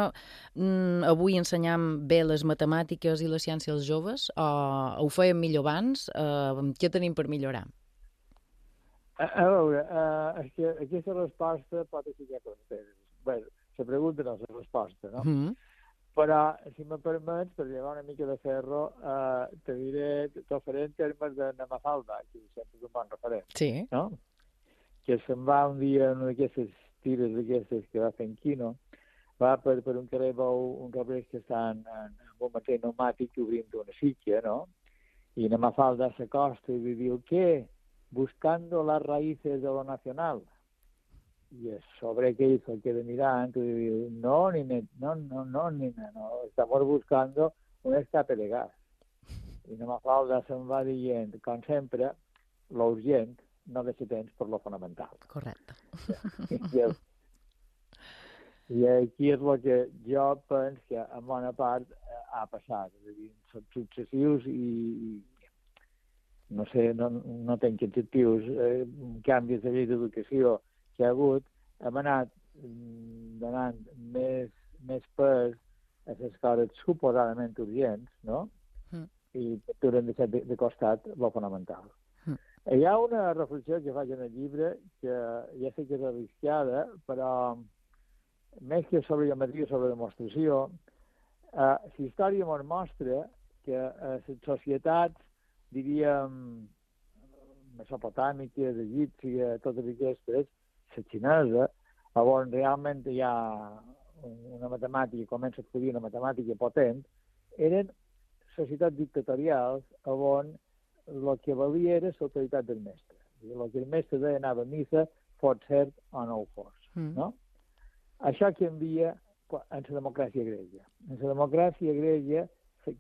avui ensenyam bé les matemàtiques i la ciència als joves? O ho fèiem millor abans? Què tenim per millorar? A veure, és que aquesta resposta pot ser que conteres. Bé, la pregunta no és la resposta, no? Però, si me permets, per llevar una mica de ferro, t'ho faré en termes de Mafalda, que sempre és un bon referent. Sí. No? Que se'n va un dia en una d'aquestes tires d'aquestes que va fent quino, va per un carrer, veu un carrer que està en un mateix pneumàtic obrint una sitja, no? I na Mafalda s'acosta i li diu, ¿qué? Buscando las raíces de lo nacional. Y sobre qué hizo, queda mirando y dice, no, estamos buscando un escape de gas. I no Mafalda se'n va dient, com sempre, lo urgent no deixa temps per lo fonamental. Correcte. I aquí és el que jo penso que en bona part ha passat. És a dir, són successius i no sé, no tenc adjectius, canvis de llei d'educació que ha hagut, hem anat donant més pes a les coses suposadament urgents, no? I t'haurem deixat de costat el fonamental. Hi ha una reflexió que faig en el llibre que ja sé que és arriscada, però més que sobre geometria, sobre demostració, la història ens mostra que les societats, diríem, mesopotàmiques, egípcies, totes aquestes, la xinesa, on realment hi ha una matemàtica, comença a estudiar una matemàtica potent, eren societats dictatorials on el que valia era l'autoritat del mestre. El que el mestre deia anava a missa, fos cert o no ho fos. No? Això canvia en la democràcia grega. En la democràcia grega se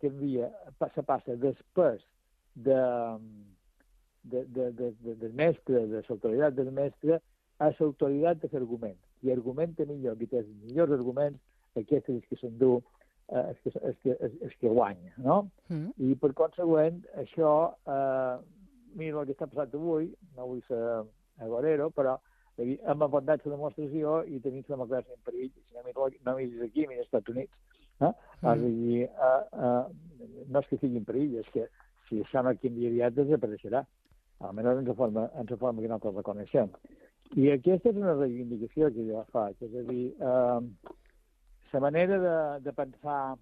passa després del mestre, de l'autoritat del mestre, a l'autoritat de l'argument. I argumenta millor, qui té els millors arguments, aquest és el que s'endú, el que guanya, no? I per consegüent, això, mira el que està passant avui, no vull ser agorero, però hem abordat la demostració i tenim la democràcia en perill. Si no miris aquí, mira als Estats Units. No és que sigui en perill, és que si això no canvia aviat, desapareixerà. Almenys en la forma que nosaltres reconeixem. I aquesta és una reivindicació que jo faig, és a dir, la manera de pensar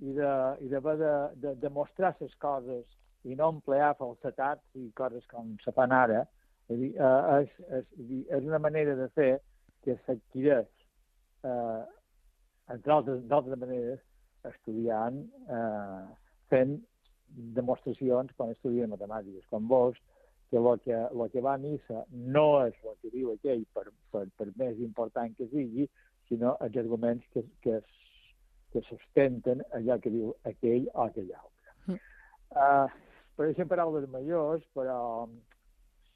i de demostrar les coses i no emplear falsetats i coses com se fan ara, és una manera de fer que s'adquireix, entre altres maneres, estudiant, fent demostracions quan estudien matemàtiques, com veus, que el que va a missa no és el que diu aquell per més important que sigui, sinó els arguments que sustenten allò que diu aquell o aquell altre. Pareixen paraules majors, però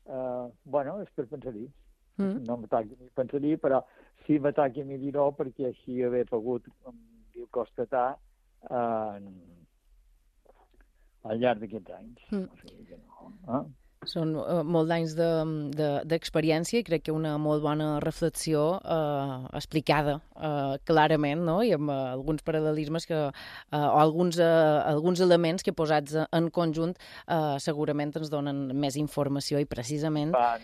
és per pensar-hi. No me toqui ni pensar-hi, però sí me toqui a mi dir-ho perquè així haver pogut constatar al llarg d'aquests anys. O sigui que no. Són molts anys d'experiència i crec que una molt bona reflexió explicada clarament, no? I amb alguns paral·lelismes o alguns elements que posats en conjunt segurament ens donen més informació i precisament... A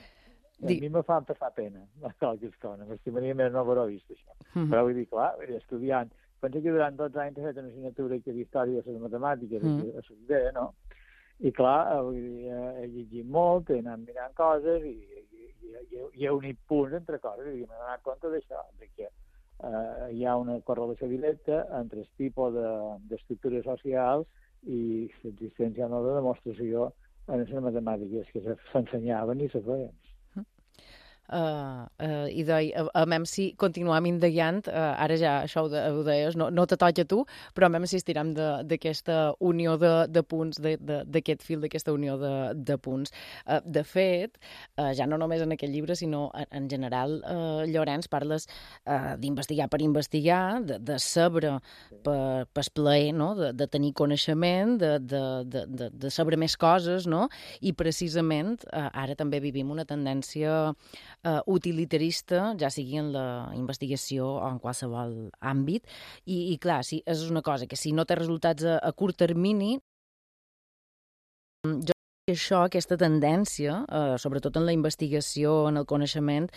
mi me fan passar pena, qualques coses. M'estimaria més no haver-ho vist, això. Però vull dir, clar, estudiant... Penso que durant 12 anys he fet una assignatura que d'història de les matemàtiques a la idea, no? I clar, he llegit molt, he anat mirant coses i he unit punts entre coses i m'he donat compte d'això, que hi ha una correlació directa entre el tipus d'estructura social i l'existència o no de demostració en les matemàtiques que s'ensenyaven i se feien. I deia, a mem si continuam indagant, ara ja això ho deies, no te toca a tu, però a mem si estirem d'aquesta unió de punts, d'aquest fil, d'aquesta unió de punts. De fet, ja no només en aquest llibre, sinó en general, Llorenç, parles d'investigar per investigar, de saber per plaer, no? De tenir coneixement, de saber més coses, no? I precisament ara també vivim una tendència utilitarista, ja sigui en la investigació o en qualsevol àmbit, i clar, sí, és una cosa que si no té resultats a curt termini, jo crec que això, aquesta tendència, sobretot en la investigació, en el coneixement,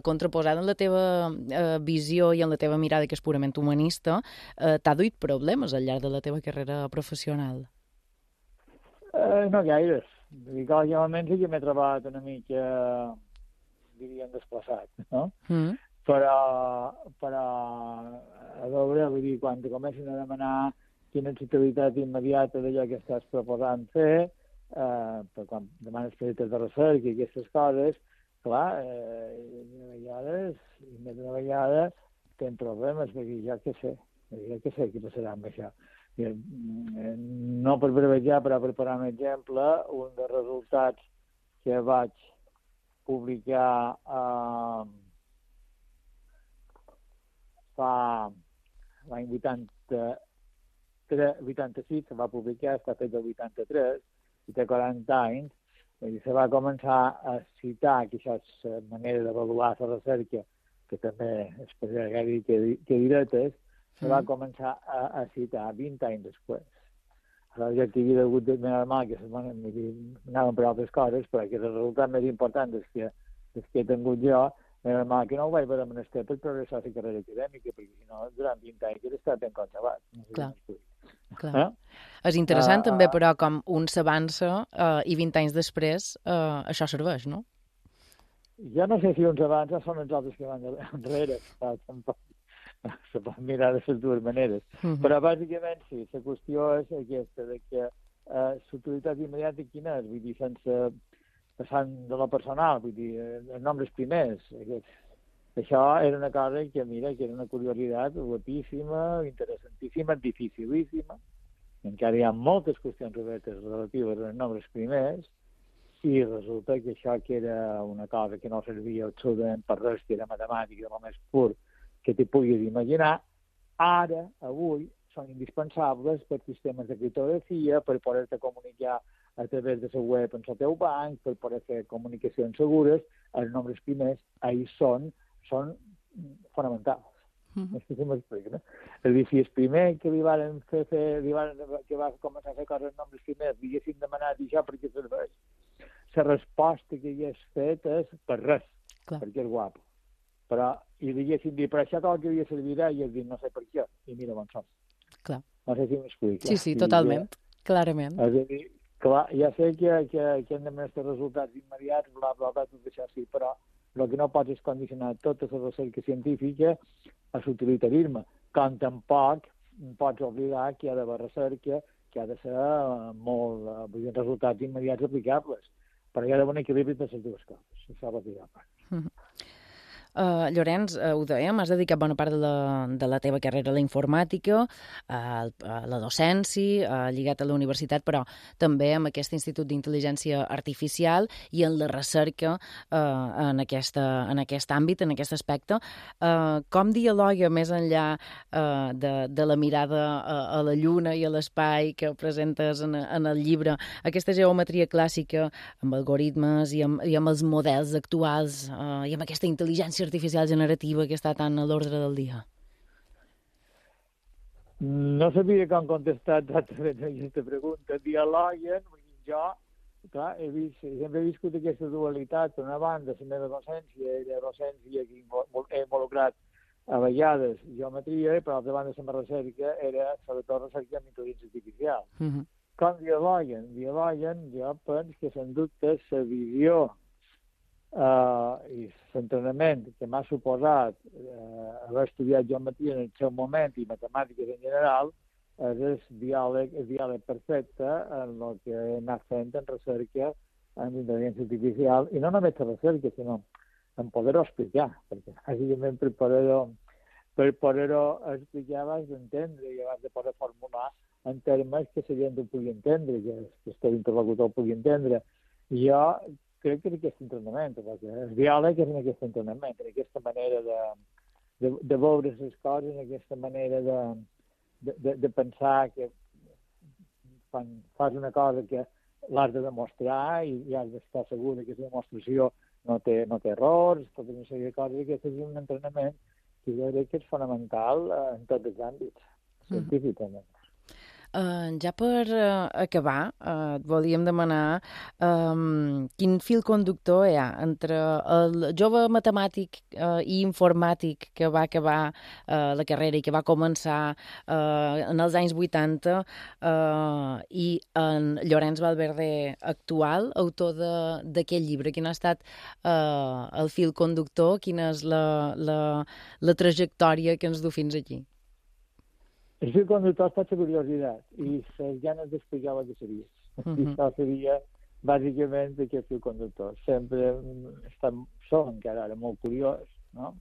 contraposada en la teva visió i en la teva mirada, que és purament humanista, t'ha duit problemes al llarg de la teva carrera professional? No gaires. Almenys sí que m'he trobat una mica, diríem, desplaçat, no? Però, a veure, vull dir, quan te comencen a demanar quina és l'utilitat immediata d'allò que estàs proposant fer, quan demanes projectes de recerca i aquestes coses, clar, més d'una vegada tenen problemes, perquè ja que sé què passarà amb això. No per brevejar, però per posar un exemple, un dels resultats que vaig publicar fa l'any 86, se va publicar, està fet el 83, i té 40 anys, i se va començar a citar, que això és la manera d'avaluar la recerca, que també es podria dir que directes, se va començar a citar 20 anys després. Ja que hi havia hagut de normal que anaven per altres coses, però que el resultat més important és que he tingut jo, normal que no ho vaig veure menester per progressar la carrera acadèmica, perquè si no, durant 20 anys hauria estat ben conservat. Clar. És interessant també, però, com un s'avança i 20 anys després això serveix, no? Jo no sé si uns avança són els altres que van enrere, tampoc. Se pot mirar de les dues maneres. Però bàsicament sí, la qüestió és aquesta, de que l'utilitat immediata quina és? Vull dir, sense passant de lo personal, vull dir, els nombres primers. Això era una cosa que, mira, que era una curiositat guapíssima, interessantíssima, dificilíssima. Encara hi ha moltes qüestions obertes relatives als nombres primers, i resulta que això que era una cosa que no servia absolutament per res, que era matemàtica, el més pur que t'hi puguis imaginar, ara, avui, són indispensables per sistemes de criptografia, per poder-te comunicar a través de la web en el teu banc, per poder fer comunicacions segures. Els nombres primers ahí són fonamentals. No sé si m'explico, no? És a dir, si el primer que li van fer, que va començar a fer coses en nombres primers, li haguessin demanat això perquè serveix, la resposta que hi has fet és per res, perquè és guapo. Però, i li haguessin dit, però això tot el que havia servirà, i has dit, no sé per què, i mira on som. Clar. No sé si m'explico. Sí, totalment, clarament. És a dir, clar, ja sé que hem de més resultats immediats, bla, bla, bla, tot això sí, però el que no pots és condicionar tota la recerca científica a l'utilitarisme, com tampoc pots oblidar que hi ha d'haver recerca, que ha de ser molt, vull dir, resultats immediats aplicables, però hi ha d'haver un equilibri de les dues coses, això va dir a part. Llorenç, ho dèiem, has dedicat bona part de la teva carrera a la informàtica, a la docència, lligat a la universitat, però també amb aquest Institut d'Intel·ligència Artificial i en la recerca en aquest àmbit, en aquest aspecte. Com dialoga més enllà de la mirada a la lluna i a l'espai que presentes en el llibre, aquesta geometria clàssica amb algoritmes i amb els models actuals i amb aquesta intel·ligència artificial generativa que està tan a l'ordre del dia? No sabia com contestar exactament aquesta pregunta. Dialoguen, jo, clar, sempre he viscut aquesta dualitat. Per una banda, la meva docència que he involucrat a vegades geometria, i per altra banda, la meva recerca era sobretot recerca amb intel·ligència artificial. Com dialoguen? Dialoguen, jo penso que, sens dubte, la visió i l'entrenament que m'ha suposat haver estudiat geometria en el seu moment i matemàtiques en general és el diàleg perfecte en el que he anat fent en recerca en intel·ligència artificial, i no només en recerca, sinó en poder-ho explicar, perquè bàsicament per poder-ho explicar abans d'entendre i abans de poder formular en termes que la gent ho pugui entendre, que el teu interlocutor ho pugui entendre. I jo crec que és aquest entrenament, perquè el diàleg és en aquest entrenament, en aquesta manera de veure les coses, en aquesta manera de pensar que quan fas una cosa que l'has de demostrar i has d'estar segur que aquesta demostració no té errors, tota una sèrie de coses, i aquest és un entrenament que jo crec que és fonamental en tots els àmbits, científicament. Ja per acabar, et volíem demanar quin fil conductor hi ha entre el jove matemàtic i informàtic que va acabar la carrera i que va començar en els anys 80 i en Llorenç Valverde actual, autor d'aquest llibre. Quin ha estat el fil conductor? Quina és la trajectòria que ens du fins aquí? El fil conductor ha estat la curiositat i les ganes d'explicar el que seria. I això seria, bàsicament, aquest fil conductor. Sempre som encara ara molt curiós, no?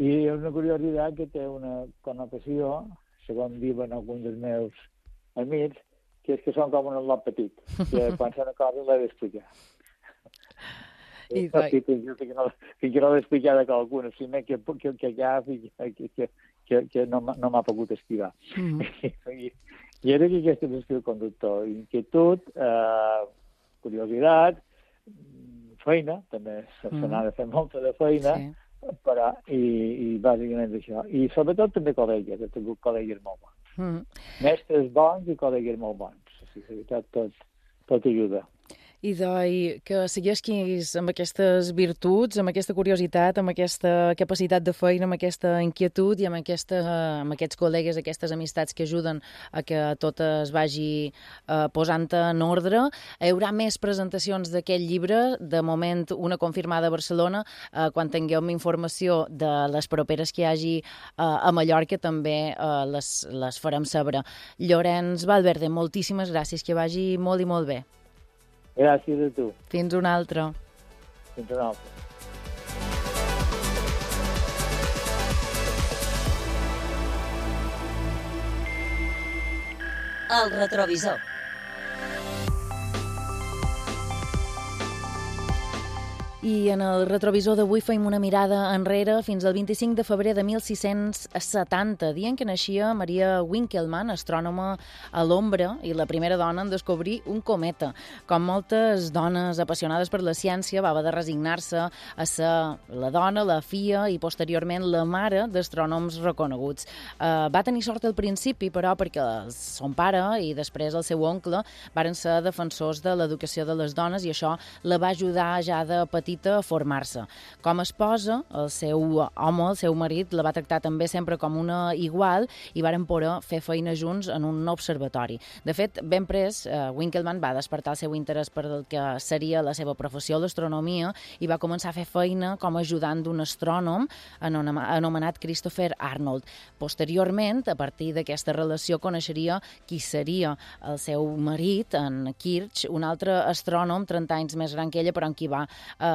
I és una curiositat que té una connotació, segons diuen alguns dels meus amics, que és que són com un lot petit, que quan s'ha una cosa l'he d'explicar. Fins que no l'he explicat a qualcú, no sé que no m'ha pogut esquivar. I era que aquest és el fil conductor. Inquietud, curiositat, feina, també se n'ha de fer molta de feina, però, i bàsicament això. I sobretot també col·legues, he tingut col·legues molt bons. Mestres bons i col·legues molt bons. O sigui, tot ajuda. I que segueixis amb aquestes virtuts, amb aquesta curiositat, amb aquesta capacitat de feina, amb aquesta inquietud i amb aquests col·legues, aquestes amistats que ajuden a que tot es vagi posant en ordre. Hi haurà més presentacions d'aquest llibre, de moment una confirmada a Barcelona. Quan tinguem informació de les properes que hi hagi a Mallorca també les farem saber. Llorenç Valverde, moltíssimes gràcies, que vagi molt i molt bé. Gràcies a tu. Fins una altra. Fins una altra. El retrovisor. I en el retrovisor d'avui feim una mirada enrere fins al 25 de febrer de 1670, dia en què naixia Maria Winkelmann, astrònoma a l'ombra i la primera dona en descobrir un cometa. Com moltes dones apassionades per la ciència, va haver de resignar-se a ser la dona, la filla i posteriorment la mare d'astrònoms reconeguts. Va tenir sort al principi, però, perquè son pare i després el seu oncle varen ser defensors de l'educació de les dones i això la va ajudar ja de petita a formar-se. Com a esposa, el seu home, el seu marit, la va tractar també sempre com una igual i varen poder fer feina junts en un observatori. De fet, ben pres, Winkelmann va despertar el seu interès per el que seria la seva professió, l'astronomia, i va començar a fer feina com a ajudant d'un astrònom anomenat Christopher Arnold. Posteriorment, a partir d'aquesta relació, coneixeria qui seria el seu marit, en Kirch, un altre astrònom 30 anys més gran que ella, però amb qui va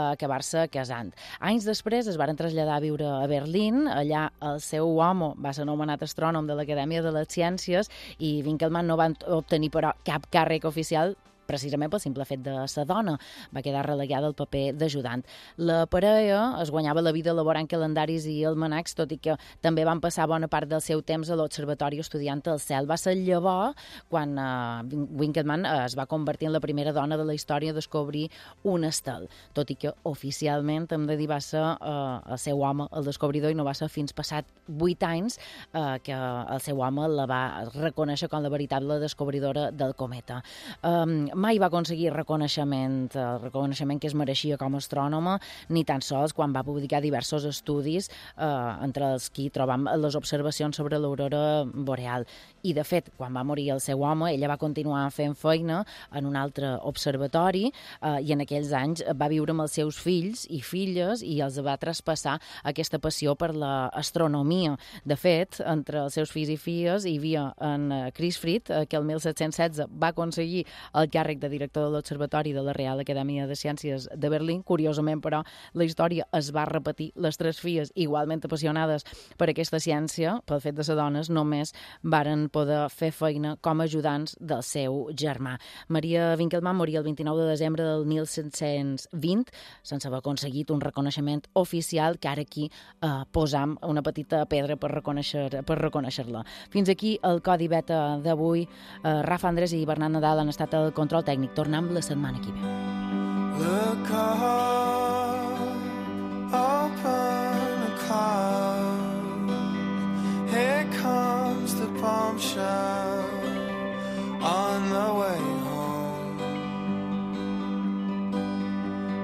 acabar-se casant. Anys després es varen traslladar a viure a Berlín. Allà el seu home va ser nomenat astrònom de l'Acadèmia de les Ciències i Winkelmann no va obtenir però cap càrrec oficial precisament pel simple fet de ser dona. Va quedar relegada al paper d'ajudant. La parella es guanyava la vida elaborant calendaris i almanacs, tot i que també van passar bona part del seu temps a l'observatori estudiant el cel. Va ser llavors quan Winkelmann es va convertir en la primera dona de la història a descobrir un estel, tot i que oficialment hem de dir va ser el seu home el descobridor i no va ser fins passat 8 anys que el seu home la va reconèixer com la veritable descobridora del cometa. mai va aconseguir el reconeixement que es mereixia com a astrònoma, ni tan sols quan va publicar diversos estudis, entre els que trobam les observacions sobre l'aurora boreal. I, de fet, quan va morir el seu home, ella va continuar fent feina en un altre observatori i en aquells anys va viure amb els seus fills i filles i els va traspassar aquesta passió per l'astronomia. De fet, entre els seus fills i filles hi havia en Chris Fried, que el 1716 va aconseguir el càrrec de director de l'Observatori de la Real Acadèmia de Ciències de Berlín. Curiosament, però, la història es va repetir. Les tres filles, igualment apassionades per aquesta ciència, pel fet de ser dones, només varen poder fer feina com a ajudants del seu germà. Maria Winkelmann moria el 29 de desembre del 1720 sense haver aconseguit un reconeixement oficial, que ara aquí posam una petita pedra per reconèixer-la. Fins aquí el Codi Beta d'avui. Rafa Andrés i Bernat Nadal han estat al control tècnic. Tornem la setmana que ve. Look up, open a cloud. Here comes the bombshell on the way home.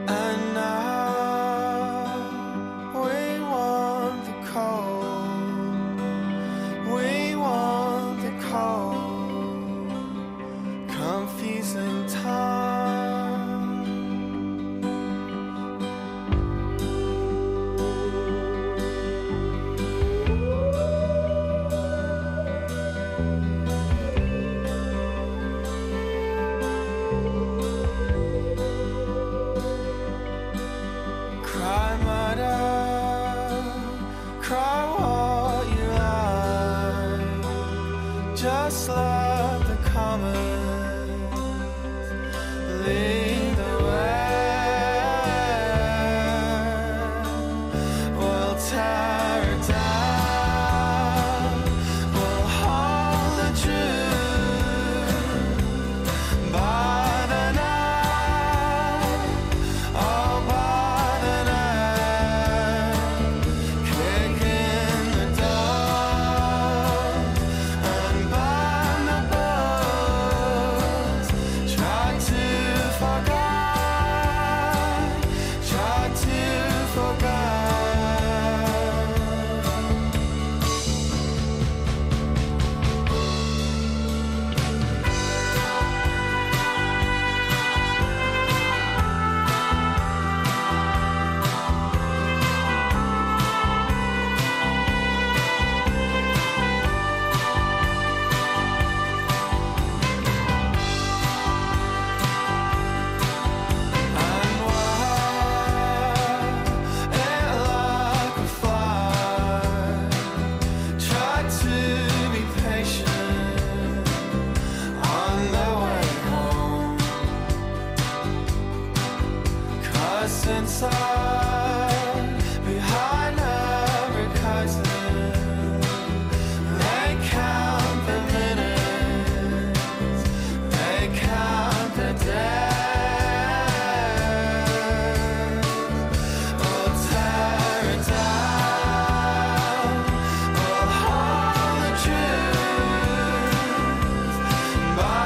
And now we want the cold. We want the cold, confusing time. Just let the comments lead the way. We'll tear it down. We'll hold the truth by the night. Oh, by the night. Kick in the door. Inside, behind every curtain, they count the minutes, they count the days. We'll tear it down, we'll hold the truth by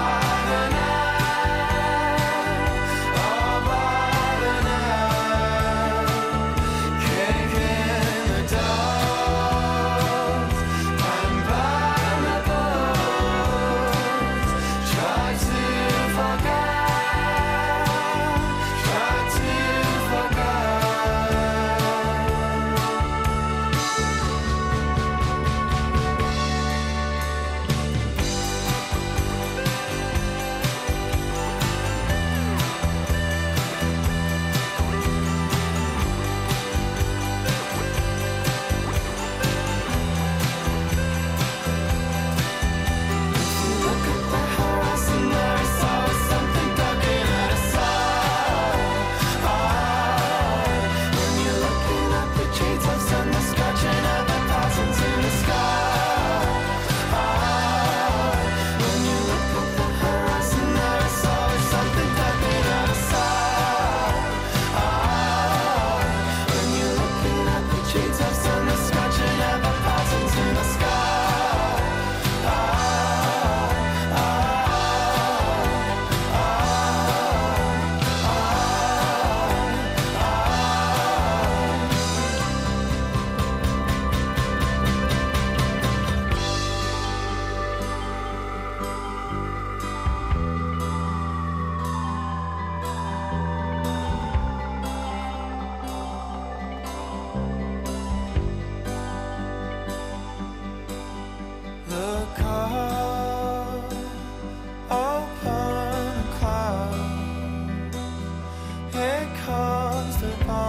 the night, oh, by the night.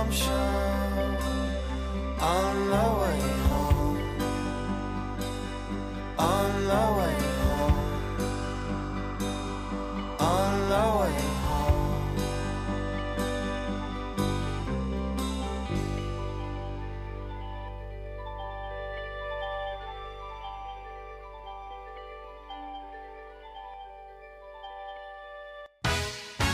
I'm sure